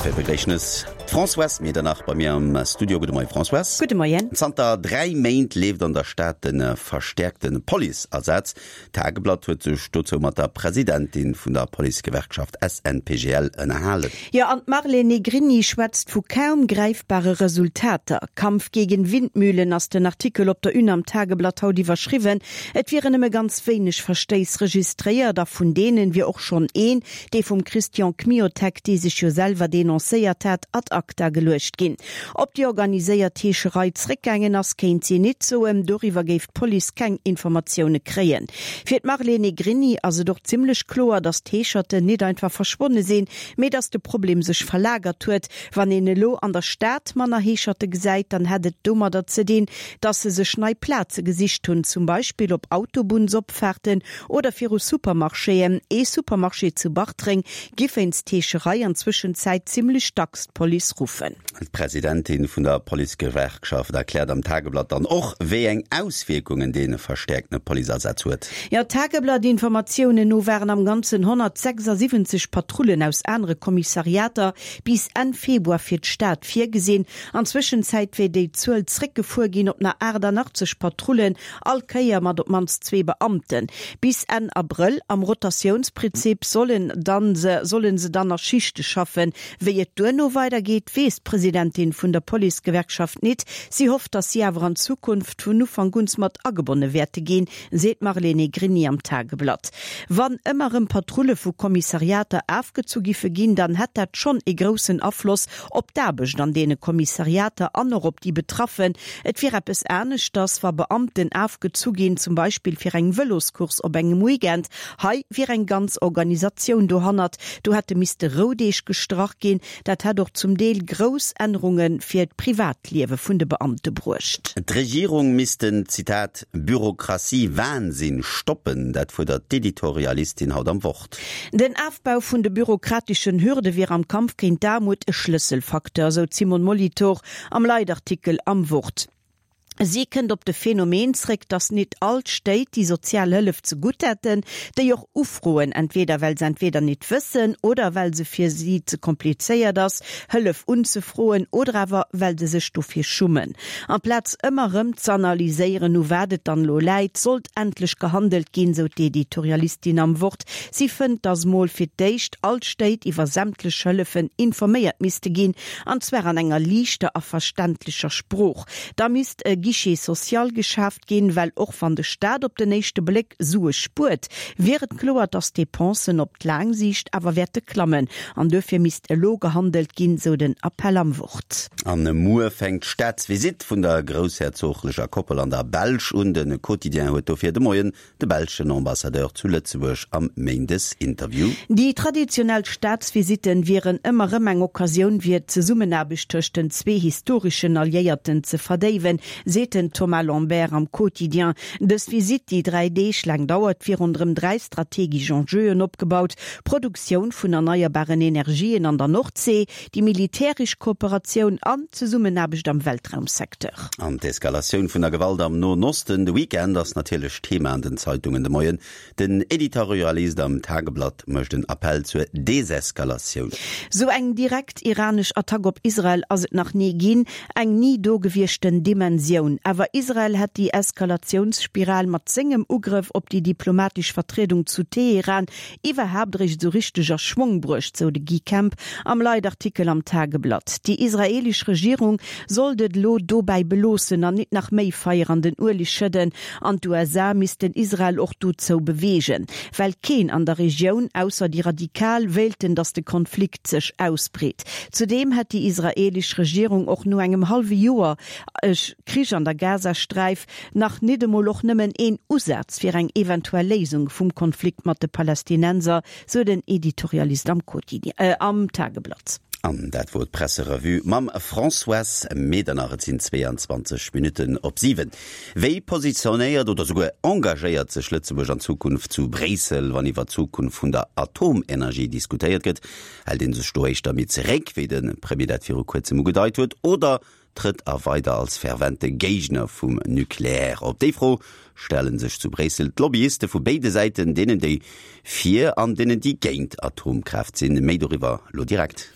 Dofir begréissen ech d'Françoise Medernach bei mir am Studio. Gudde Moien, Françoise. Gudde Moien. Zanter 3 Méint leeft an der Stad de verstäerkte Policeasaz. D'Tageblatt huet sech dozou mat der Presidentin vun der Policegewerkschaft SNPGL ënnerhalen. Jo, an d'Marlène Negrini schwätzt vu kaum gräifbare Resultater. Kampf gegen Windmühlen ass den Artikel op der Une am Tageblatt haut iwwerschriwwen. Et wieren nëmme ganz wéineg Verstéiss registréiert a vun deenen wier och schonn een, dee vum Christian Kmiotek, dee sech jo selwer denoncéiert hat, ad acta geluecht ginn. Ob déi organiséiert Heescherei zréckgaangen ass, kéint si nit soen. Doriwwer géif d'Police keng Informatioune kréien. Fir d'Marlene Negrini ass et och zimmlech kloer, datt d'Heescherten nit einfach verschwonne sinn, mee datt de Problem sech verlagert huet. Wann een elo an der Stad manner Heescherte gesäit, dann hätt et domadder ze dinn, datt se sech nei Plaze gesicht hunn, zum Beispill op Autobunnsopfaarten oder viru Supermarchéen. Ee Supermarché zu Bartreng giff wéinst Heescherei an Zwëschenzäit zimmlech dacks d'Police ruffen. D'Presidentin vun der Policegewerkschaft erkläert am Tageblatt dann och, wéi eng Auswierkungen dee verstäerkte Policeasaz huet. Jo, Tageblatt-Informatiounen no waren am Ganzen 176 Patrullen aus anere Kommissariater bis Enn Februar fir d'Stad virgesinn. An Zwëschenzäit wär déi Zuel zréckgefuer ginn op nach 88 Patrullen, all Kéier mat op d'mannst zwee Beamten. Bis Enn Abrëll, am Rotatiounsprinzip, sollen dann se sollen se dann a Schichte schaffen. Wéi et duerno weidergeet, weess d'Presidentin vun der Policegewerkschaft nit. Si hofft, datt si awer an Zukunft vun Ufank uns mat agebonne wäerte ginn, seet d'Marlene Negrini am Tageblatt. Wann ëmmer erëm Patrulle vu Kommissariater afgezu giffe ginn, dann hätt dat schonn ee groussen Afloss op d'Aarbecht an deene Kommissariater an och op déi Betraffen. Et wier eppes aneschters, wa Beamten afgezu ginn, zum Beispill fir eng Vëloscourse op engem Weekend. Hei wier eng ganz Organisatioun dohannert. Do hätte misste Roudeeg gestrach ginn. Dat hätt och zum Deel grouss Ännerunge fir d'Privatliewe vun de Beamte bruecht. D'Regierung misst den, Zitat, Bürokratie-Wahnsinn stoppen, dat fuerdert d'Editorialistin haut am Wort. Den Afbau vun de bürokrateschen Hürde wier am Kampf géint d'Aarmut e Schlësselfacteur, sou d'Simone Molitor am Leitartikel am Wort. Si kënnt op de Phänomen zréck, datt nit all d'Stéit déi sozial Hëllef ze gutt hätten, déi och ufroen, entweder well se entweder nit wëssen oder well se fir si ze komplizéiert ass, Hëllef unzefroen oder awer well se sech dofir schummen. Amplaz ëmmer erëm z'analyséieren, u wat et dann elo läit, sollt endlech gehandelt ginn, sou d'Editorialistin am Wort. Si fënnt, datt mol fir d'éischt all d'Stéit iwwer sämtlech Hëllefen informéiert misste ginn, an zwar an enger liichter a verständlecher Sprooch. Da misst e Guichet social geschaaft ginn, well och wann de Staat op den éischte Bléck Sue spuert, wier et kloer, datt d'Depensen op d'laang Siicht awer wäerte klammen. An duerfir misst elo gehandelt ginn, sou den Appell am Wort. An muer fänkt d'Staatsvisitt vun der groussherzoglecher Koppel an der Belsch un. De Quotidien huet dofir de Moien De belschen Ambassadeur zu Lëtzebuerg am Méindesinterview. Déi traditionell Staatsvisitten wieren ëmmer rëm eng Occasioun fir d'Zesummenaarbecht tëscht den zwee historeschen Alliéierten ze verdéiwen, seet den Thomas Lambert am Quotidien. Dës Visitt, déi 3 Deeg laang dauert, wier ronderëm 3 strategesch Enjeuen opgebaut, Produktioun vun erneierbaren Energien an der Nordsee, déi militäresch Kooperatioun an d'Zesummenaarbecht am Weltraumsecteur. An d'Eskalatioun vun der Gewalt am Noen Osten de Weekend ass natierlech Thema an den Zeitungen de Moien. Den Editorialist am Tageblatt mécht en Appell zur Deseskalatioun. Sou eng direkt iranesch Attack op Israel ass et nach ni ginn, eng ni do gewieschten Dimensioun. Awer Israel hätt déi Eskalatiounsspiral mat sengem Ugrëff op déi diplomatesch Vertriedung zu Teheran iwwerhaapt eréischt esou richteg a Schwong bruecht, sou de Guy Kemp am Leitartikel am Tageblatt. Déi israeelesch Regierung sollt et elo dobäi beloossen an nit nach méi Feier an den Ueleg schëdden. An d'USA missten Israel och dozou beweegen, well keen an der Regioun, ausser déi Radikal, wéilten, datt de Konflikt sech ausbreet. Zudeem hätt déi israeelesch Regierung och no engem hallwe Joer Krich an der Gazasträif Nach nit emol och nëmmen een Usaz fir eng eventuell Léisung vum Konflikt mat de Palästinenser, sou den Editorialist am Quotidien, am Tageblatt. An dat wor d'Presserevue mam Françoise Medernach. Et sinn 22 Minutten op 7. Wéi positionéiert oder souguer engagéiert sech Lëtzebuerg an Zukunft zu Bréissel, wann iwwer d'Zukunft vun der Atomenergie diskutéiert gëtt? Hält ee sech do éischter méi zeréck, wéi de Premier dat viru kuerzem ugedeit huet, oder Trëtt a weider als fervente Géigner vum Nucléaire op? Déi Fro stelle sech zu Bréissel d'Lobbyiste vu béide Säiten, deenen déi fir an deenen déi géint Atomkraaft sinn. Méi doriwwer lo direkt.